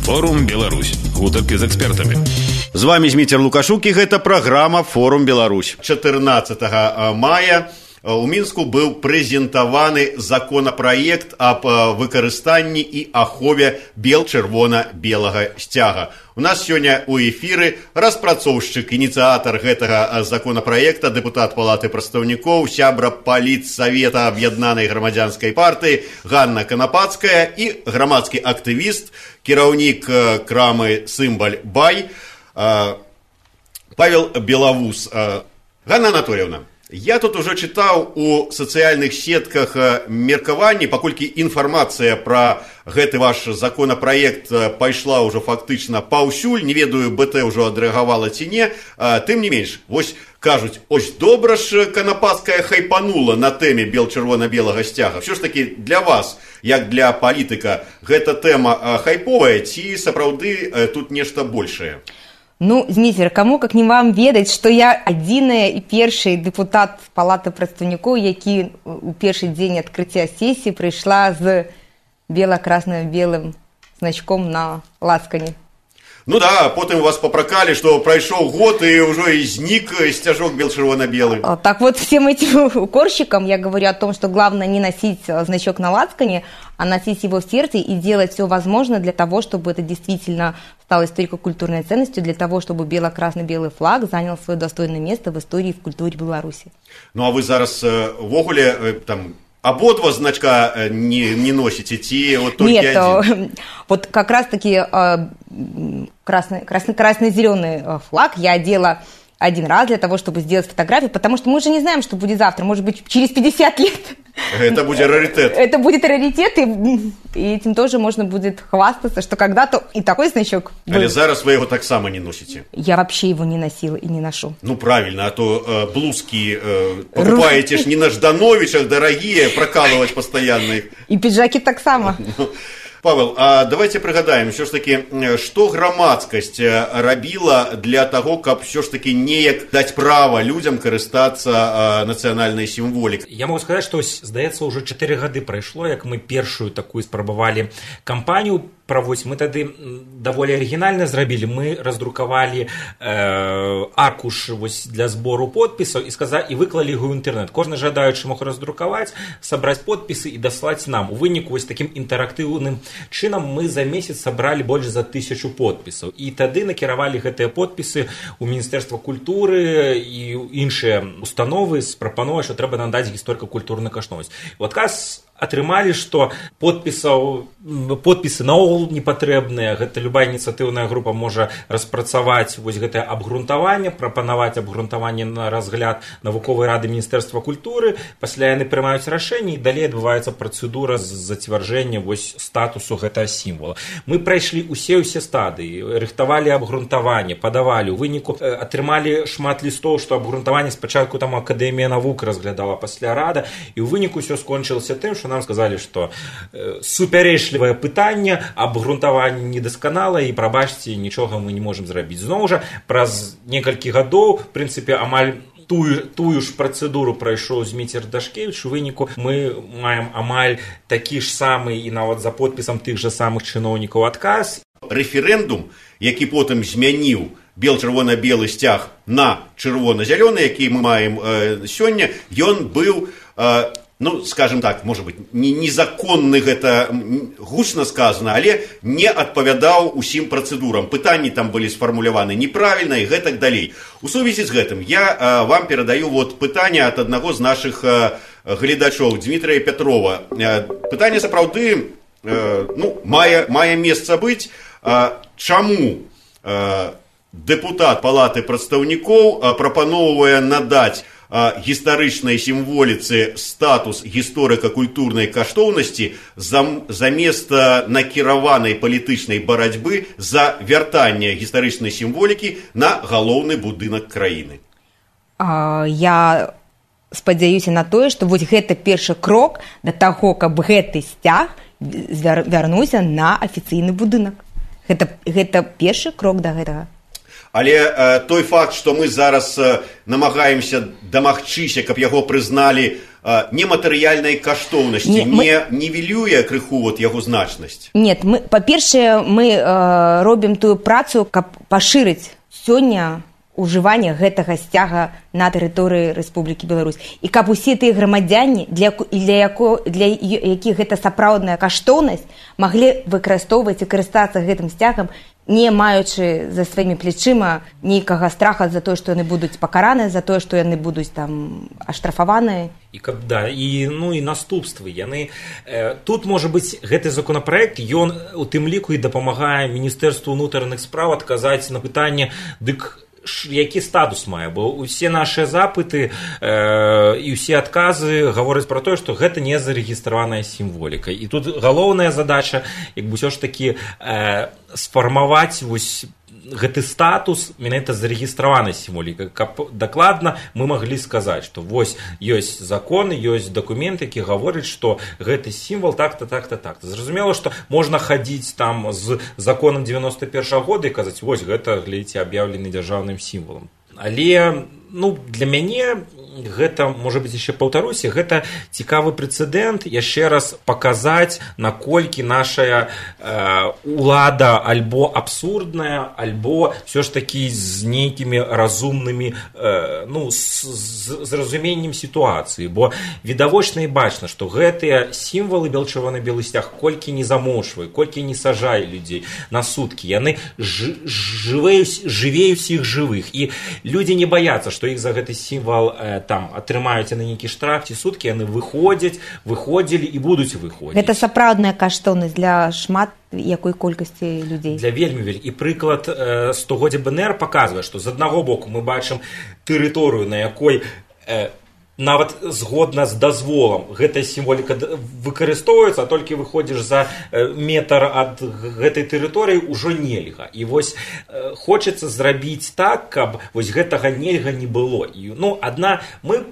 Форум Беларусь. Гутаркі з экспертамі. З вами Зміцер Лукашук, і гэта праграма Форум Беларусь. 14 мая у Мінску быў прэзентаваны законапраект аб выкарыстанні і ахове бел-чырвона-белага сцяга. У нас сёння у эфіры распрацоўшчык, ініцыятар гэтага законапраекта, дэпутат Палаты прадстаўнікоў, сябра палітсавета аб'яднанай грамадзянскай партыі Ганна Канапацкая і грамадскі актывіст, кіраўнік крамы «Сымбаль Бай» Павел Белавус. Ганна Анатольевна, я тут уже читал у социальных сетках меркаванні, паколькі інфармацыя пра гэты ваш законопроект пайшла уже фактычна паўсюль, не ведаю, БТ уже адрэагавала ці не, тым не менш, вось кажуць, ось добра ж Канапацкая хайпанула на тэме бел-чырвона-белага сцяга. Все ж таки для вас, як для палітыка, гэта тэма хайповая ці сапраўды тут нешта большае? Ну, Зміцер, каму, как не вам ведаць, што я адзіная і першы дэпутат Палаты прадстаўнікоў, які у першы дзень адкрыцця сесіі прыйшла з бела-красна-белым значком на лацкане. Ну да, потым вас попракалі, што прайшоў год і ўжо і знік сцяжок бел-чырвона-белый. Так вот, всем этим укорщикам я говорю о том, что главное не носить значок на лацкане, а носить его в сердце и делать все возможное для того, чтобы это действительно стало историко-культурной ценностью, для того, чтобы бело-красно-белый флаг занял свое достойное место в истории и в культуре Беларуси. Ну а вы зараз в огуле там ободва значка не носите, ти вот только Нет, один? Вот как раз-таки красно-зеленый флаг я одела один раз для того, чтобы сделать фотографию, потому что мы же не знаем, что будет завтра, может быть, через 50 лет. Это будет раритет. Это будет раритет, и этим тоже можно будет хвастаться, что когда-то и такой значок был. Але зараз вы его так само не носите. Я вообще его не носила и не ношу. Ну, правильно, а то блузки покупаете ж не на Ждановичах, дорогие, прокалывать постоянно их. И пиджаки так само. Павел, а давайте пригадаем, все ж таки, что громадскость рабіла для того, каб все ж таки неяк дать право людям карыстацца нацыянальнай сімволікай? Я могу сказать, что, здаецца, уже 4 гады прайшло, як мы першую такую спрабавалі кампанію праводзіць. Мы тады даволі арыгінальна зрабілі. Мы раздрукавалі аркуш для збору подпісаў і выклалі яго ў інтэрнэт. Кожны жадаючы мог раздрукаваць, сабраць подпісы і даслаць нам. У выніку вось такім інтэрактыўным чынам мы за месяц сабралі больш за 1000 подпісаў. І тады накіравалі гэтыя подпісы ў Міністэрства культуры і іншыя установы з прапановай, што трэба надаць гісторыка-культурную каштоўнасць. У адказ атрымалі, што подпісы наогул не патрэбныя. Гэта любая ініцыятыўная група можа распрацаваць вось гэтае абгрунтаванне, прапанаваць абгрунтаванне на разгляд навуковай рады Міністэрства культуры, пасля яны прымаюць рашэнне і далей адбываецца працэдура зацвярджэння вось статусу гэтага сімвола. Мы прайшлі усе стадыі, рыхтавалі абгрунтаванне, падавалі, у выніку атрымалі шмат лістоў, што абгрунтаванне спачатку там Акадэмія навук разглядала, пасля рада, і ў выніку ўсё скончылася тым, што нам сказалі, што супярэчлівае пытанне, абгрунтаванне недасканала і, прабачце, нічога мы не можам зрабіць. Зноў жа, праз некалькі гадоў, в прынцыпе, амаль тую ж працэдуру прайшоў Зміцер Дашкевіч. У выніку мы маем амаль такі ж самы і нават за подпісам тых жа самых чыноўнікаў адказ. Рэферэндум, які потым змяніў бел-чырвона-белы сцяг на чырвона-зялёны, які мы маем сёння, ён быў, ну, скажем так, может быть, незаконны, гэта гучна сказано, але не адпавядаў усім працэдурам. Пытанні там былі сфармуляваны неправільна і гэтак далей. У сувязі з гэтым я вам перадаю вот пытанне ад аднаго з нашых гледачоў, Дмітрия Петрова. Пытанне сапраўды мае месца быць. Чаму дэпутат Палаты прадстаўнікоў прапаноўвае надаць гістарычнай сімволіцы статус гісторыка-культурнай каштоўнасці замест накіраванай палітычнай барацьбы за вяртанне гістарычнай сімволікі на галоўны будынак краіны? Я спадзяюся на тое, што вось гэта першы крок да таго, каб гэты сцяг вярнуўся на афіцыйны будынак. Гэта першы крок да гэтага. Але той факт, што мы зараз намагаемся дамагчыся, каб яго прызналі нематэрыяльнай каштоўнасці, не нівелюе крыху вот яго значнасць? Нет, па-першае, мы робім тую працу, каб пашырыць сёння ужыванне гэтага сцяга на тэрыторыі Рэспублікі Беларусь. І каб усе тыя грамадзяне, для якіх гэта сапраўдная каштоўнасць, маглі выкарыстоўваць і карыстацца гэтым сцягам, не маючы за сваімі плечыма нейкага страха за тое, што яны будуць пакараныя, за тое, што яны будуць там аштрафаваныя. І наступствы яны тут, можа быць, гэты законапраект, ён у тым ліку і дапамагае Міністэрству ўнутраных спраў адказаць на пытанне, дык які статус мае, бо усе нашыя запыты і ўсе адказы гавораць пра тое, што гэта не зарэгістраваная сімволіка. І тут галоўная задача, як бы ўсё ж такі сфармаваць вось гэты статус менавіта зарэгістраванай сімволікай, каб дакладна мы маглі сказаць, што вось ёсць закон, ёсць дакумент, які гаворыць, што гэты сімвал так-то, так-то, так-то. Зразумела, што можна хадзіць там з законам 91-го года і казаць, вось гэта, глядзіце, аб'яўлены дзяржаўным сімвалам. Але, для мяне гэта, можа быць, яшчэ паўтаруся, гэта цікавы прэцэдэнт яшчэ раз паказаць, наколькі нашая улада альбо абсурдная, альбо ўсё ж такі з нейкімі разумнымі, з разуменнем сітуацыі. Бо відавочна і бачна, што гэтыя сімвалы бел-чырвона-белы сцяг колькі не замочвае, колькі не сажае людзей на суткі, яны жывеюць іх жывых. І людзі не баяцца, што іх за гэты сімвал там атрымаюць на нейкі штраф ці суткі, яны выходзілі і будуць выходзіць. Гэта сапраўдная каштоўнасць для шмат якой колькасці людзей. Для вельмі. І прыклад стагоддзя БНР паказвае, што з аднаго боку мы бачым тэрыторыю, на якой нават згодна з дазволам гэтая сімволіка выкарыстоўваецца, а толькі выходзіш за метр ад гэтай тэрыторыі, ўжо нельга. І вось хочацца зрабіць так, каб вось гэтага нельга не было. Мы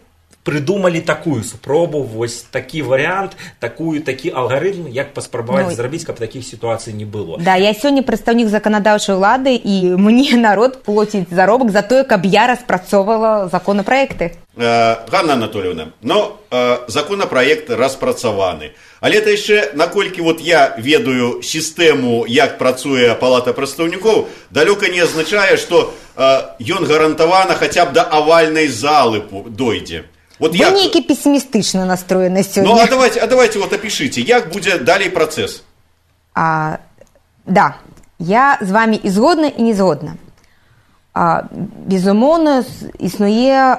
прыдумалі такую спробу, вось такі варыянт, такі алгарытм, як паспрабаваць зрабіць, каб такіх сітуацый не было. Да, я сёння прадстаўнік заканадаўчай улады, і мне народ плоціць заробак за тое, каб я распрацоўвала законапраекты. Ганна Анатольевна, законапраект распрацаваны. Але это яшчэ, наколькі я ведаю сістэму, як працуе Палата прадстаўнікоў, далёка не азначае, што ён гарантавана хаця б да авальнай залы дойдзе. Вы нейкі пессімістычна настроены сёння. Давайте опишите, як будзе далей працэс. Да, я з вами і згодна, і не згодна. Безумоўна, існуе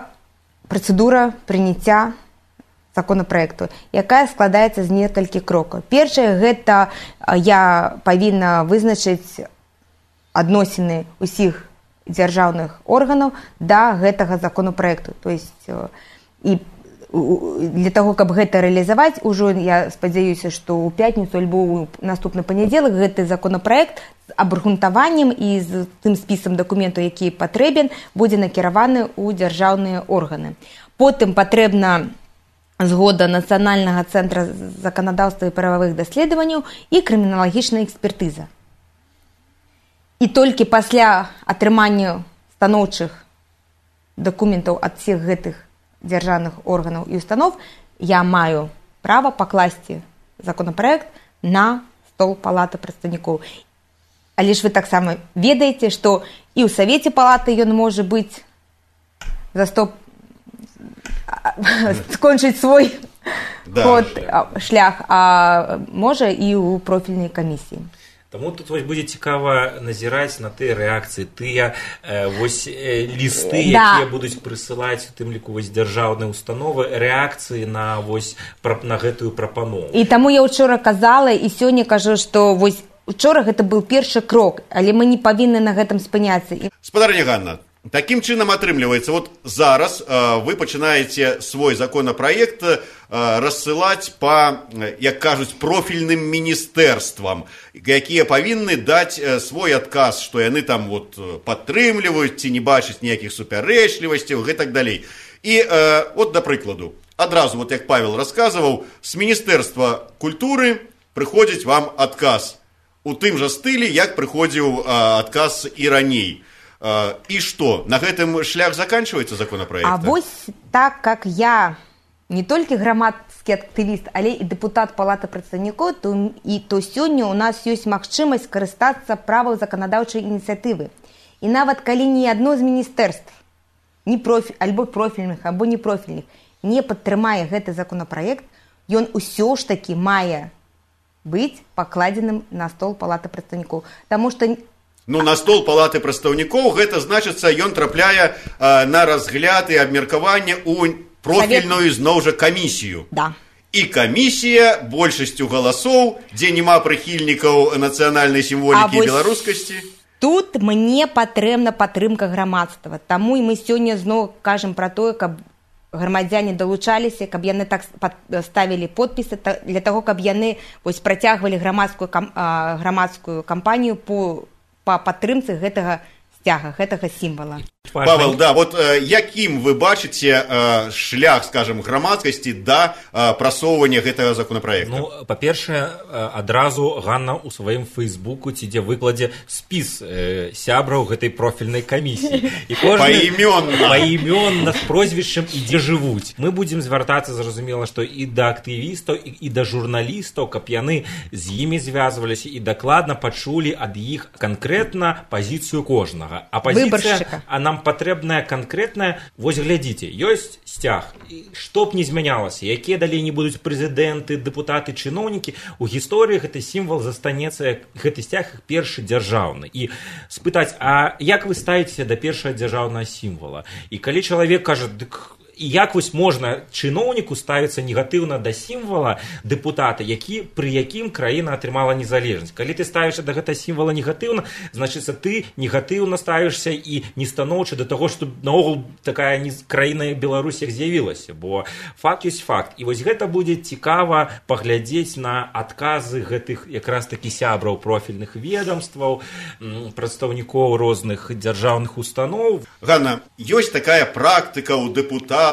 працэдура прыняцця законапраекту, якая складаецца з некалькіх крокаў. Першае, гэта я павінна вызначыць адносіны ўсіх дзяржаўных органаў да гэтага законапраекту. То есть, і для того, каб гэта рэалізаваць, ужо я спадзяюся, што ў пятніцу альбо ў наступны панядзелак гэты законапраект з абгрунтаваннем і з тым спісам дакументаў, які патрэбен, будзе накіраваны ў дзяржаўныя органы. Потым патрэбна згода Нацыянальнага цэнтра заканадаўства і прававых даследаванняў і крыміналагічная экспертыза. І толькі пасля атрымання станоўчых дакументаў ад всіх гэтых дзяржаўных органаў і установ я маю права пакласці законапраект на стол Палаты прадстаўнікоў. Але ж вы таксама ведаеце, што і ў Савеце Палаты ён можа быць скончыць свой шлях, а можа і ў профільнай камісіі. Таму тут будзе цікава назіраць на тыя рэакцыі, тыя лісты, якія будуць прысылаць, у тым ліку дзяржаўныя установы, рэакцыі на гэтую прапанову. І таму я ўчора казала, і сёння кажу, што учора гэта быў першы крок, але мы не павінны на гэтым спыняцца. Спадарня Ганна, такім чынам атрымліваецца, зараз вы пачынаеце свой законапраект рассылаць па, як кажуць, профільным міністэрствам, якія павінны даць свой адказ, што яны там падтрымліваюць ці не бачаць ніякіх супярэчлівасцяў і так далей. І да прыкладу, адразу, як Павел расказваў, з Міністэрства культуры прыходзіць вам адказ у тым жа стылі, як прыходзіў адказ і раней. И что? На этом шлях заканчивается законопроект? А вось так, как я не толькі грамадскі актывіст, але і дэпутат Палаты прадстаўнікоў, то сёння у нас ёсць магчымасць карыстацца правам заканадаўчай ініцыятывы. І нават калі ні адно з міністэрств, альбо профільных, або непрофільных, не падтрымае гэты законопроект, ён усё ж такі мае быць пакладзеным на стол Палаты прадстаўнікоў. Таму што на стол Палаты прадстаўнікоў гэта значыцца, ён трапляе на разгляд і абмеркаванне ў профільную зноў жа камісію. Да. І камісія большасцю галасоў, дзе няма прыхільнікаў нацыянальнай сімволікі і беларускасці. Тут мне патрэбна падтрымка грамадства. Таму і мы сёння зноў кажам пра тое, каб грамадзяне далучаліся, каб яны так ставілі подпісы для таго, каб яны працягвалі грамадскую кампанію по падтрымцы гэтага сцяга, гэтага сімвала. Павел, да, вот якім вы бачыце шлях, скажем, грамадскасці да прасоўвання гэтага законопроекта? Ну, па-першае, адразу Ганна ў сваім фейсбуку ці дзе выкладзе спіс сябраў гэтай профільнай камісіі. І паімённа з прозвішчам і дзе жывуць. Мы будзем звяртацца, зразумела, што і да актывістаў, і да журналістаў, каб яны з імі звязваліся і дакладна пачулі ад іх канкрэтна пазіцыю кожнага. А пазіцыя, нам патрэбная канкрэтная, вось глядзіце, ёсць сцяг, што б не змянялася, якія далей не будуць прэзідэнты, дэпутаты, чыноўнікі, у гісторыі гэты сімвал застанецца, гэты сцяг першы дзяржаўны. І спытаць, а як вы ставіцеся да першага дзяржаўнага сімвала? І калі чалавек кажа, дык і як вось можна чыноўніку ставіцца негатыўна да сімвала дэпутата, пры якім краіна атрымала незалежнасць. Калі ты ставішся да гэтага сімвала негатыўна, значыцца ты негатыўна ставішся і нестаноўча да таго, што наогул такая краіна Беларусь як з'явілася, бо факт ёсць факт. І вось гэта будзе цікава паглядзець на адказы гэтых якраз такі сябраў профільных ведомстваў, прадстаўнікоў розных дзяржаўных устаноў. Ганна, ёсць такая практыка ў дэпутатаў,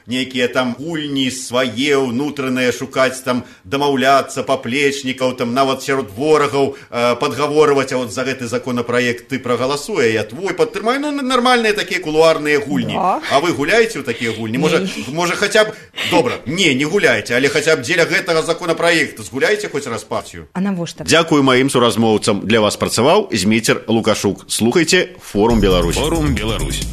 нейкія там гульні свае ўнутраныя шукаць, там дамаўляцца, паплечнікаў, там нават сярод ворагаў падгаворваць, а вот за гэты законопроект ты прагаласуе, я твой падтрымаю. Ну, нармальныя такія кулуарныя гульні. А вы гуляеце ў такія гульні? Можа хаця б, добра, не гуляйце, але хаця б дзеля гэтага законопроекта згуляйце хоць раз партію. А навошта? Дзякую маім суразмоўцам. Для вас працаваў Зміцер Лукашук. Слухайце Форум Беларусь. Форум Беларусь.